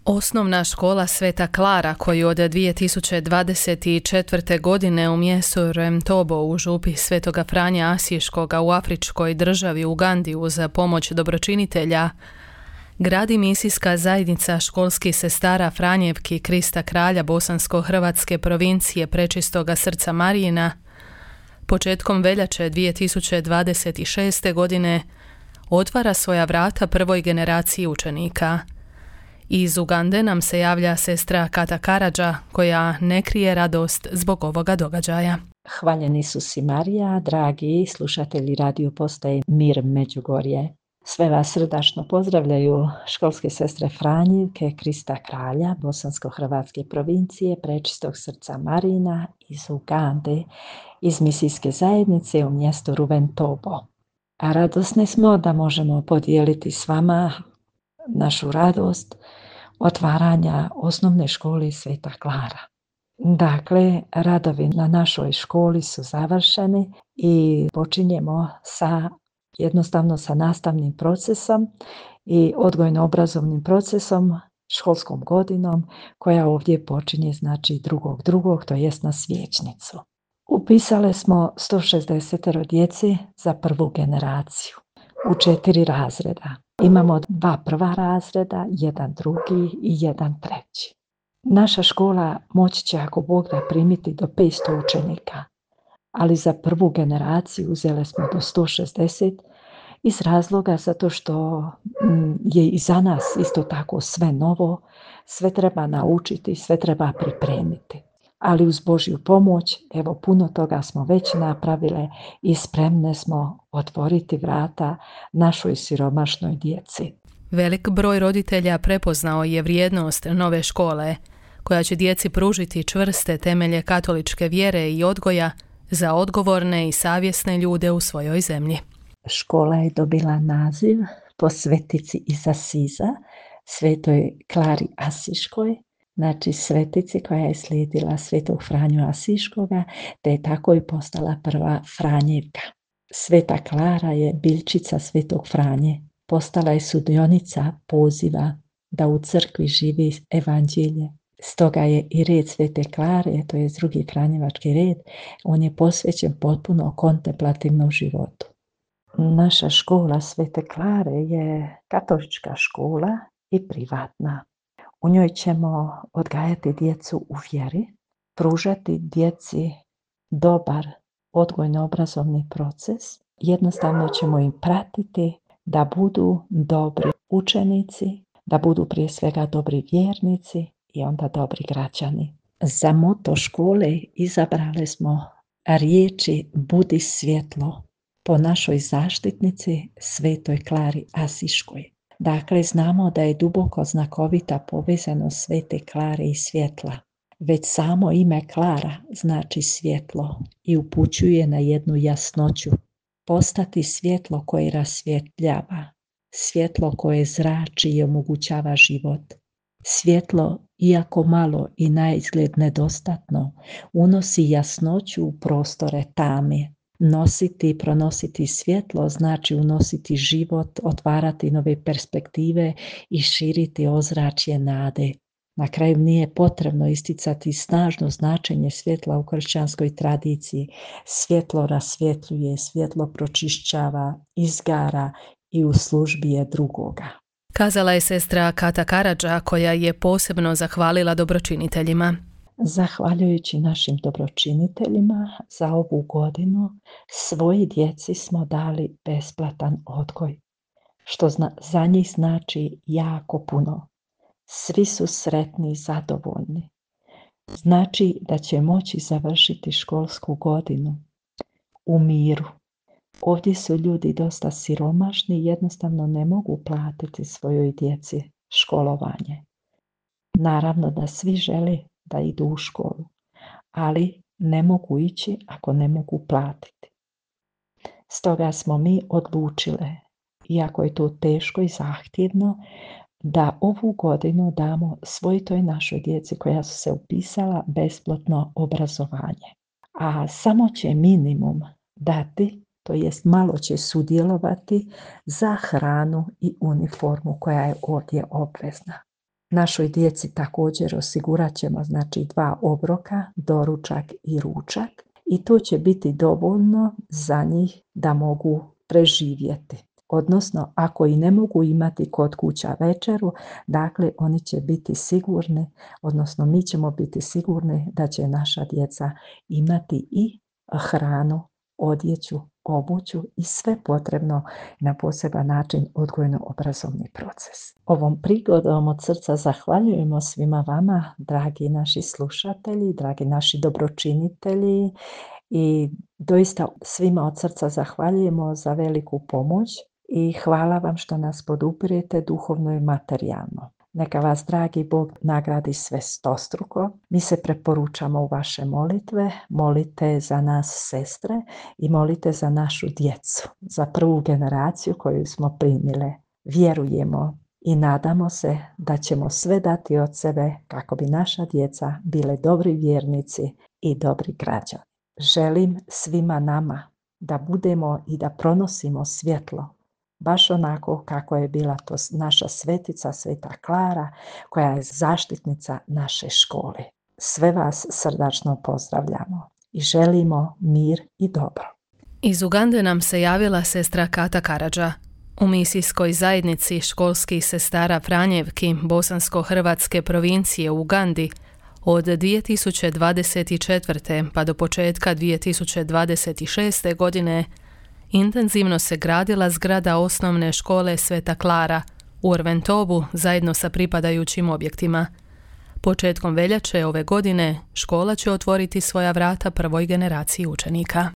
Osnovna škola Sveta Klara, koju od 2024. godine u mjestu Remtobo u župi Svetoga Franje Asiškoga u afričkoj državi Ugandi uz pomoć dobročinitelja, gradi misijska zajednica školskih sestara Franjevki Krista Kralja Bosansko-hrvatske provincije Prečistoga srca Marijina, početkom veljače 2026. godine otvara svoja vrata prvoj generaciji učenika. Iz Ugande nam se javlja sestra Kata Karadža, koja ne krije radost zbog ovoga događaja. Hvaljeni Isus i Marija, dragi slušatelji radio postaje Mir Međugorje. Sve vas srdačno pozdravljaju školske sestre Franjevke Krista Kralja Bosansko-hrvatske provincije Prečistog srca Marijina iz Ugande, iz misijske zajednice u mjestu Ruventobo. A radosni smo da možemo podijeliti s vama našu radost otvaranja osnovne škole Sveta Klara. Dakle, radovi na našoj školi su završeni i počinjemo jednostavno sa nastavnim procesom i odgojno-obrazovnim procesom, školskom godinom koja ovdje počinje 2.2., to jest na Svječnicu. Upisale smo 160 djeci za prvu generaciju u 4 razreda. Imamo 2 prva razreda, 1 drugi i 1 treći. Naša škola moći će, ako Bog da, primiti do 500 učenika, ali za prvu generaciju uzeli smo do 160 iz razloga zato što je i za nas isto tako sve novo, sve treba naučiti, sve treba pripremiti. Ali uz Božju pomoć, evo, puno toga smo već napravile i spremne smo otvoriti vrata našoj siromašnoj djeci. Velik broj roditelja prepoznao je vrijednost nove škole, koja će djeci pružiti čvrste temelje katoličke vjere i odgoja za odgovorne i savjesne ljude u svojoj zemlji. Škola je dobila naziv po svetici iz Asiza, Svetoj Klari Asiškoj, znači svetici koja je slijedila Svetog Franju Asiškoga, te je tako i postala prva Franjevka. Sveta Klara je biljčica Svetog Franje, postala je sudionica poziva da u crkvi živi evanđelje. Stoga je i red Svete Klare, to je drugi franjevački red, on je posvećen potpuno kontemplativnom životu. Naša škola Svete Klare je katolička škola i privatna. U njoj ćemo odgajati djecu u vjeri, pružati djeci dobar odgojno-obrazovni proces. Jednostavno ćemo im pratiti da budu dobri učenici, da budu prije svega dobri vjernici i onda dobri građani. Za moto škole izabrali smo riječi Budi svjetlo po našoj zaštitnici Svetoj Klari Asiškoj. Dakle, znamo da je duboko znakovita povezanost Svete Klare i svjetla. Već samo ime Klara znači svjetlo i upućuje na jednu jasnoću. Postati svjetlo koje rasvjetljava, svjetlo koje zrači i omogućava život. Svjetlo, iako malo i naizgled nedostatno, unosi jasnoću u prostore tame. Nositi i pronositi svjetlo znači unositi život, otvarati nove perspektive i širiti ozračje nade. Na kraju nije potrebno isticati snažno značenje svjetla u kršćanskoj tradiciji. Svjetlo rasvjetljuje, svjetlo pročišćava, izgara i u službi je drugoga. Kazala je sestra Kata Karadža, koja je posebno zahvalila dobročiniteljima. Zahvaljujući našim dobročiniteljima za ovu godinu svoji djeci smo dali besplatan odgoj, što za njih znači jako puno. Svi su sretni i zadovoljni. Znači da će moći završiti školsku godinu u miru. Ovdje su ljudi dosta siromašni i jednostavno ne mogu platiti svojoj djeci školovanje. Naravno da svi žele da idu u školu, ali ne mogu ići ako ne mogu platiti. Stoga smo mi odlučile, iako je to teško i zahtjevno, da ovu godinu damo svoj toj našoj djeci koja su se upisala besplatno obrazovanje. A samo će minimum dati, to jest malo će sudjelovati za hranu i uniformu koja je ovdje obvezna. Našoj djeci također osigurat ćemo znači 2 obroka, doručak i ručak, i to će biti dovoljno za njih da mogu preživjeti. Odnosno, ako i ne mogu imati kod kuća večeru, dakle oni će biti sigurni, odnosno mi ćemo biti sigurni da će naša djeca imati i hranu, odjeću, obuću i sve potrebno na poseban način odgojno-obrazovni proces. Ovom prigodom od srca zahvaljujemo svima vama, dragi naši slušatelji, dragi naši dobročinitelji, i doista svima od srca zahvaljujemo za veliku pomoć i hvala vam što nas podupirete duhovno i materijalno. Neka vas, dragi Bog, nagradi sve stostruko. Mi se preporučamo u vaše molitve. Molite za nas, sestre, i molite za našu djecu, za prvu generaciju koju smo primile. Vjerujemo i nadamo se da ćemo sve dati od sebe kako bi naša djeca bile dobri vjernici i dobri građani. Želim svima nama da budemo i da pronosimo svjetlo, baš onako kako je bila to naša svetica, Sveta Klara, koja je zaštitnica naše škole. Sve vas srdačno pozdravljamo i želimo mir i dobro. Iz Ugande nam se javila sestra Kata Karadža. U misijskoj zajednici školskih sestara Franjevki Bosansko-Hrvatske provincije u Ugandi od 2024. pa do početka 2026. godine intenzivno se gradila zgrada osnovne škole Sveta Klara u Orventobu zajedno sa pripadajućim objektima. Početkom veljače ove godine škola će otvoriti svoja vrata prvoj generaciji učenika.